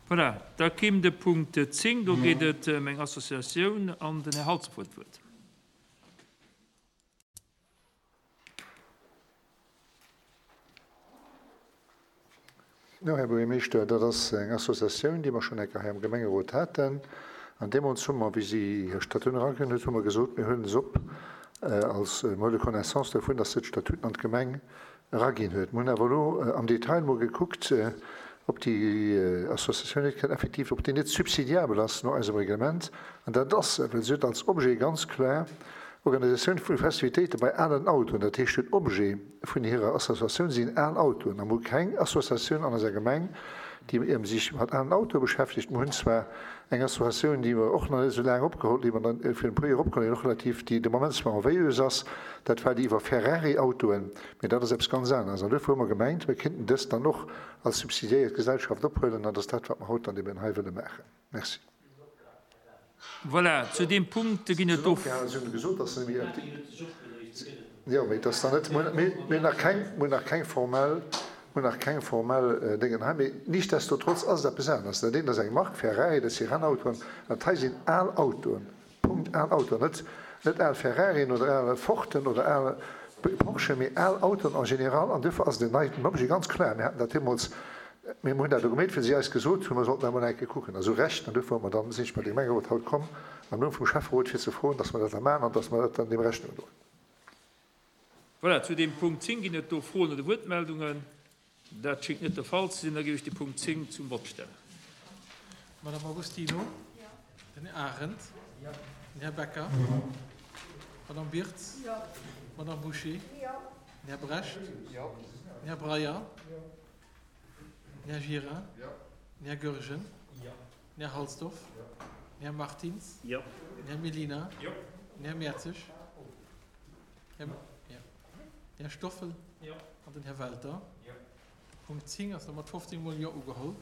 Voilà, da kéim de Punkt 10, do geet et ëm eng Associatioun an den Här Halsdorf huet d'Wuert. Jo, Här Buergermeeschter, dat ass eng Associatioun, déi mer schonn eng Kéier hei am Gemengerot haten. An deemools hu mer, wéi si hir Statuten eraginn huet, hu mer gesot, mir huelen se op als, mir huele Connaissance dovun, dass se d'Statuten an d'Gemeng eraginn huet. Mir hunn awer elo am Detail mol gekuckt, ob déi Associatioun net kann effektiv, ob déi net subsidiabel ass no eisem Reglement. An dat ass se, well se huet als Objet ganz kloer Organisatioun vu Festivitéite bei alen Autoen. Dat heescht, den Objet vun hirer Associatioun sinn al Autoen. A mir hu keng Associatioun an eiser Gemeng, déi sech mat alen Autoe beschäftegt. Mir hunn zwar eng Associatioun, déi mer och nach net esou laang opgeholl, déi mer dann virun e puer Joer opgeholl hunn, och relativ, déi de Moment zwar en Veilleuse ass, dat war déi iwwer Ferrari-Autoen, mee dat ass eppes ganz aneres. An duerfir hu mer gemengt, mir kéinten dës dann och als subsidiéiert Gesellschaft ophuelen, an dat ass dat, wat mer haut dann eben hei wëlle maachen. Merci. Voilà, zu deem Punkt ginn et do. Si hunn gesot, dass se méi. Jo, mee et ass nach net, mir hunn nach keng, mir hunn nach keng formell, mir hunn nach keng formell Déngen hei. Mee nichtsdestotrotz ass et eppes aneres. Dat eent ass eng Mark, Ferrari, dat si Rennautoen, an dat hei sinn al Autoen, Punkt, al Autoen. Net, net al Ferrarien oder al Forden oder al Porschen, mee al Autoen en général. An duerfir ass et en neien Objet, ganz kloer. Mir haten dat deemools Mir hunn dat elo gemeet, well si eis gesot hunn, mer sollten dat emol eng Kéier kucken. A sou Recht. An duerfir hu mer dann, sinn ech bei de Gemengerot haut komm, am Numm vum Schäfferot, fir ze froen, dass mer dat da maachen an dass mer dat dann deem Rechnung droen. Voilà, zu deem Punkt 10 ginn et do Froen oder Wuertmeldungen? Dat schéngt net de Fall ze sinn. Da géif ech de Punkt 10 zum Vott stellen. Madame Agostino? Den Här Arendt? Den Här Becker? D'Madame Birtz? D'Madame Bouché? Den Här Brecht? Den Här Breyer? Den Här Gira? Den Här Goergen? Den Här Halsdorf? Den Här Martins? Den Här Mellina? Den Här Mertzig? Den Här Stoffel? An den Här Welter? Punkt 10 ass da mat 15 mol Jo ugeholl.